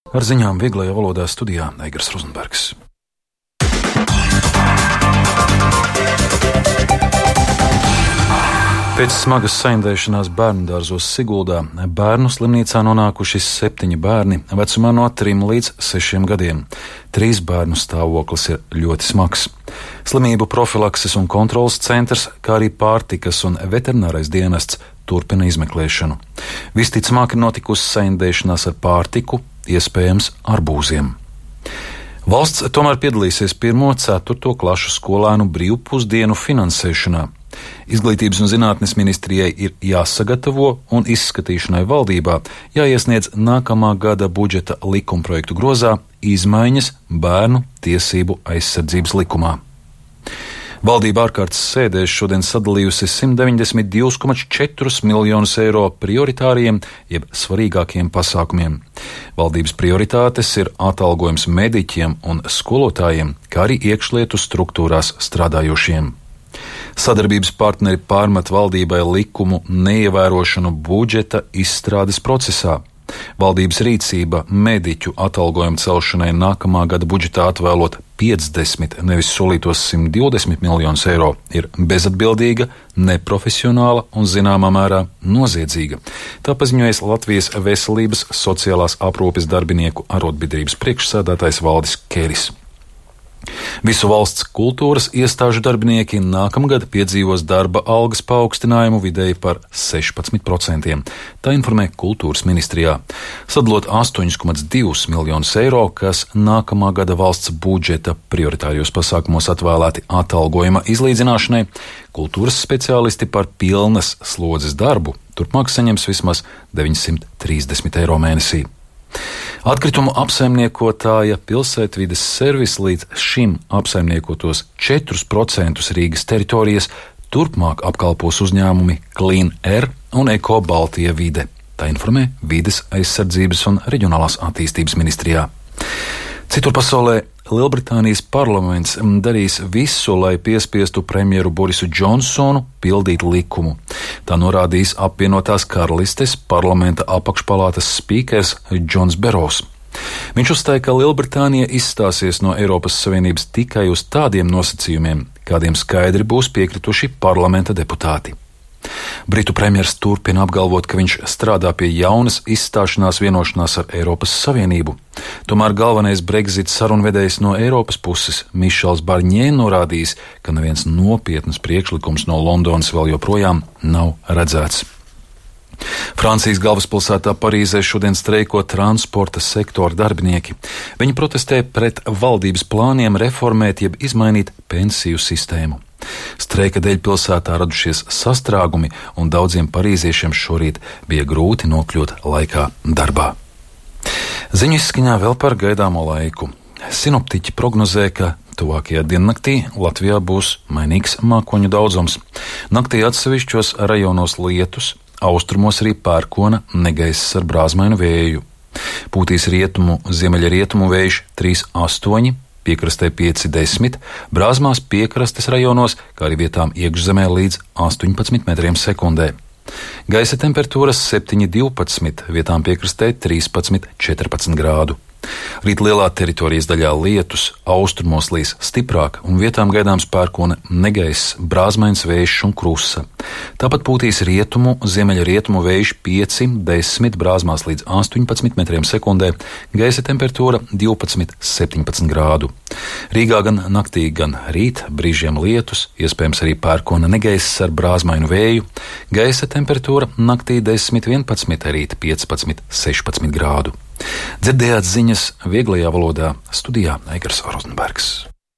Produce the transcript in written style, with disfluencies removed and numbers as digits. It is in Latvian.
Ar ziņām vieglajā valodā studijā Eigars Rozenbergs. Pēc smagas saindēšanās bērnudārzos Siguldā bērnu slimnīcā nonākuši 7 bērni vecumā no 3 līdz 6 gadiem. 3 bērnu stāvoklis ir ļoti smags. Slimību profilakses un kontrolas centrs, kā arī pārtikas un veterinārais dienests turpina izmeklēšanu. Visticamāk ir notikusi saindēšanās ar pārtiku, iespējams arbūziem. Valsts tomēr piedalīsies 1.–4. klašu skolēnu brīvpusdienu finansēšanā. Izglītības un zinātnes ministrijai ir jāsagatavo un izskatīšanai valdībā jāiesniedz nākamā gada budžeta likumprojektu grozā izmaiņas bērnu tiesību aizsardzības likumā. Valdība ārkārtas sēdēs šodien sadalījusi 192,4 miljonus eiro prioritāriem, jeb svarīgākiem pasākumiem. Valdības prioritātes ir atalgojums mediķiem un skolotājiem, kā arī iekšlietu struktūrās strādājošiem. Sadarbības partneri pārmet valdībai likumu neievērošanu budžeta izstrādes procesā. Valdības rīcība mediķu atalgojumu celšanai nākamā gada budžetā atvēlot 50, nevis solītos 120 miljonus eiro, ir bezatbildīga, neprofesionāla un zināmā mērā noziedzīga. Tā paziņojas Latvijas Veselības sociālās aprūpes darbinieku arotbiedrības priekšsēdētājs Valdis Keris. Visu valsts kultūras iestāžu darbinieki nākamgad piedzīvos darba algas paaugstinājumu vidēji par 16%. Tā informē Kultūras ministrijā. Sadalot 8,2 miljonus eiro, kas nākamā gada valsts budžeta prioritārijos pasākumos atvēlēti atalgojuma izlīdzināšanai, kultūras speciālisti par pilnas slodzes darbu turpmāk saņems vismaz 930 eiro mēnesī. Atkritumu apsaimniekotāja Pilsētvides servis līdz šim apsaimniekotos 4% Rīgas teritorijas turpmāk apkalpos uzņēmumi Clean Air un Eko Baltija vide. Tā informē Vides aizsardzības un reģionālās attīstības ministrijā. Citur pasaulē Lielbritānijas parlaments darīs visu, lai piespiestu premjeru Borisu Džonsonu pildīt likumu. Tā norādījis apvienotās karalistes parlamenta apakšpalātas spīkers Džons Beros. Viņš uzstāja, ka Lielbritānija izstāsies no Eiropas Savienības tikai uz tādiem nosacījumiem, kādiem skaidri būs piekrituši parlamenta deputāti. Britu premjers turpina apgalvot, ka viņš strādā pie jaunas izstāšanās vienošanās ar Eiropas Savienību. Tomēr galvenais Brexit sarunvedējs no Eiropas puses Mišels Barņē norādījis, ka neviens nopietns priekšlikums no Londonas vēl joprojām nav redzēts. Francijas galvaspilsētā Parīzē šodien streiko transporta sektora darbinieki. Viņi protestē pret valdības plāniem reformēt jeb izmainīt pensiju sistēmu. Streika dēļ pilsētā radušies sastrēgumi, un daudziem parīziešiem šorīt bija grūti nokļūt laikā darbā. Ziņu izskaņā vēl par gaidāmo laiku. Sinoptiķi prognozē, ka tuvākajā diennaktī Latvijā būs mainīgs mākoņu daudzums. Naktī atsevišķos rajonos lietus, austrumos arī pērkona negaiss ar brāzmainu vēju. Pūtīs rietumu, ziemeļrietumu vējš 3,8, piekrastē 5,10, brāzmās piekrastes rajonos, kā arī vietām iekšzemē līdz 18 metriem sekundē. Gaisa temperatūras 7,12, vietām piekrastē 13,14 grādu. Rīt lielā teritorijas daļā lietus, austrumos līs stiprāk un vietām gaidāms pērkona negaiss, brāzmains vējš un krusa. Tāpat pūtīs rietumu, ziemeļrietumu vējš 5,10, brāzmās līdz 18 metriem sekundē, gaisa temperatūra 12,17 grādu. Rīgā gan naktī, gan rīt brīžiem lietus, iespējams arī pērkona negaiss ar brāzmainu vēju, gaisa temperatūra naktī 10,11, rīt 15,16 grādu. Dzirdējāt ziņas vieglajā valodā, studijā Eigars Rozenbergs.